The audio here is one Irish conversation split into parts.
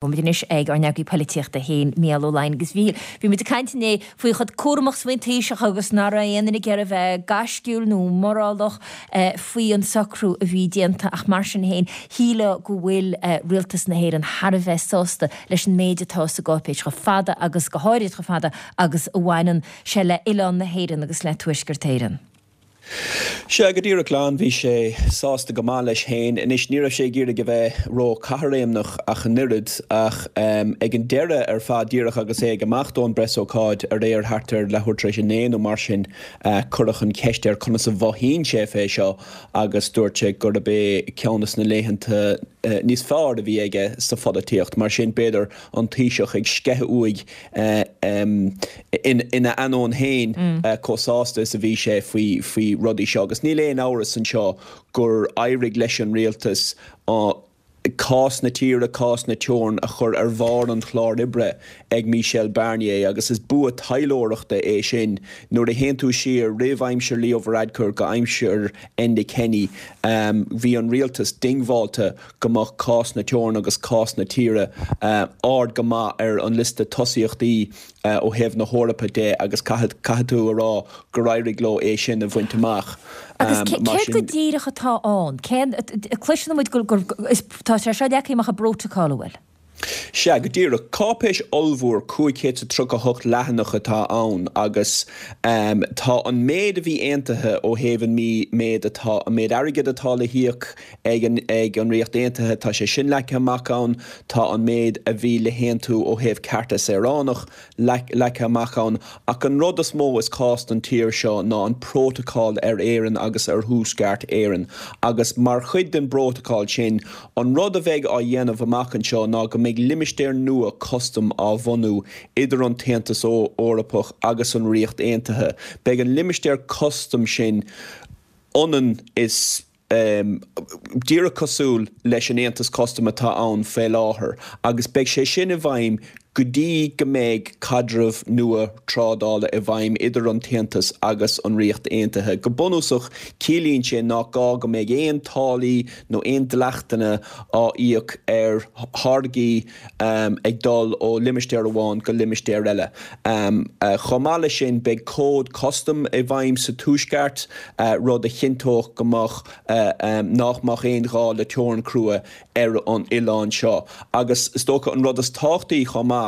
Muid anois ag ár n-eagraí poilitíochta féin, Mícheál Ó Laighin. Agus a Mhíchíl, bhí muid ag caint inné faoi chomh cúramach is a bhí an Taoiseach agus nach raibh aon duine ag iarraidh a bheith gaisciúil nó morálach faoi an socrú a bhí déanta ach mar sin féin, shílfeá go bhfuil rialtas na hÉireann thar a bheith sásta leis an méid atá sa gcáipéis chomh fada agus go háirid chomh fada agus a bhaineann sé le hoileán na hÉireann agus le Tuaisceart Éireann. Sea, go díreach glan, bhí sé sásta go maith leis féin. Anois, ní raibh sé ag iarraidh a bheith ró-chaithréimneach ach an oiread, ach ag an deireadh ar fad, díreach agus é ag imeacht ón bpreasócáid aréir thart ar leathuair tar éis a naoi nó mar sin, cuireadh an cheist air conas a mhothaíonn sé fé seo agus dúirt sé gurb é ceann des na laethanta níos fearr a bhí aige sa pholaitíocht. Mar sin, b'fhéidir an Taoiseach ag sceitheadh uaidh ina ainneoin féin chomh sásta is a bhí sé faoi rudaí seo. Agus níl aon amhras anseo gur éirigh leis an rialtas cás na tíre, cás na teorann a chur ar bharr an chláir oibre ag Michel Barnier agus is bua taidhleoireachta é sin. Nuair a théann tú siar roimh aimsir Leo Varadkar go aimsir Enda Kenny bhí an rialtas diongbháilte go mbeadh cás na teorann agus cás na tíre ard go maith ar an liosta tosaíochtaí ó thaobh na hEorpa de agus caithfidh tú a rá gur éirigh leo é sin a bhaint amach. Agus céard go díreach atá ann? Cén, cloiseann muid gur, tá sé seo leagtha amach i bprótacal, an bhfuil? Sea, go díreach. Cáipéis ollmhór 538 leathanach atá ann agus tá an méid a bhí aontaithe ó thaobh an méid atá, an méid airgid atá le híoc ag an ag an Ríocht Aontaithe, tá sé sin leagtha amach ann, tá an méid a bhí le haontú ó thaobh cearta saoránach leagtha amach ann ach an rud is mó is cás don tír seo ná an prótacal ar Éirinn agus ar Thuaisceart Éireann agus mar chuid den bprótacal sin An rud a bheidh á dhéanamh amach anseo ná go mbeidh limistéar nua custaim á bhunú idir an tAontas Eorpach agus an Ríocht Aontaithe. Beidh an limistéar custaim sin ionann is díreach cosúil leis an Aontas Custaim atá ann faoi láthair agus beidh sé sin i bhfeidhm go dtí go mbeidh caidreamh nua trádála i bhfeidhm idir an tAontas agus an Ríocht Aontaithe. Go bunúsach, ciallaíonn sé nach gá go mbeidh aon táillí nó aon dleachtanna á íoc ar tháirgí ag dul ó limistéar amháin go limistéar eile. Chomh maith leis sin, beidh cód custaim i bhfeidhm sa Tuaisceart, rud a chinnteodh go mbeadh nach mbeadh aon ghá le teorainn chrua ar an oileán seo. Agus is dócha an rud is tábhachtaí chomh maith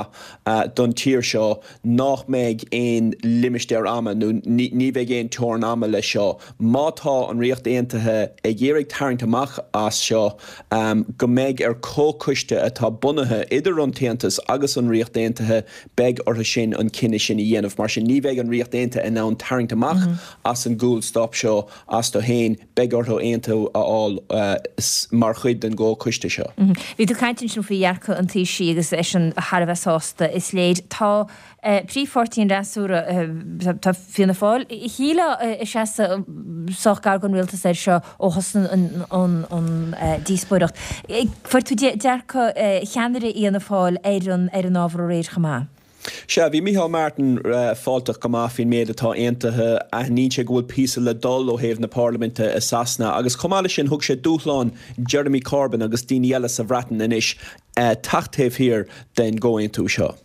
don tír seo nach mbeidh aon limistéar ama nó ní bheidh aon teorainn ama leis seo. Má tá an Ríocht Aontaithe ag iarraidh tarraingt amach as seo, go mbeidh ar comhchoiste atá bunaithe idir an tAontas agus an Ríocht Aontaithe, beidh orthu sin an cinneadh sin a dhéanamh. Mar sin ní bheidh an Ríocht Aontaithe in ann tarraingt amach as an gcúlstop seo astu féin. Beidh orthu aontú a fháil mar chuid den gcomhchoiste seo. Bhí tú ag caint ansin faoi dhearcadh an Taoisigh agus eisean thar a bheith sásta, is léir. Tá príomhpháirtí an fhreasúra, tá Fianna Fáil, shílfeá ag seasamh sách gar don rialtas air seo ó thosnaigh an díospóireacht. Fuair tú dearcadh cheannaire Fhianna Fáil ar an ábhar aréir chomh maith. Sea, bhí Micheál Martin fáilteach go maith faoin méid atá aontaithe. Aithníonn sé go bhfuil píosa le dul ó thaobh na parlaiminte i Sasana agus chomh maith leis sin thug sé dúshlán Jeremy Corbyn agus daoine eile sa Bhreatain anois teacht taobh thiar den gcomhaontú seo.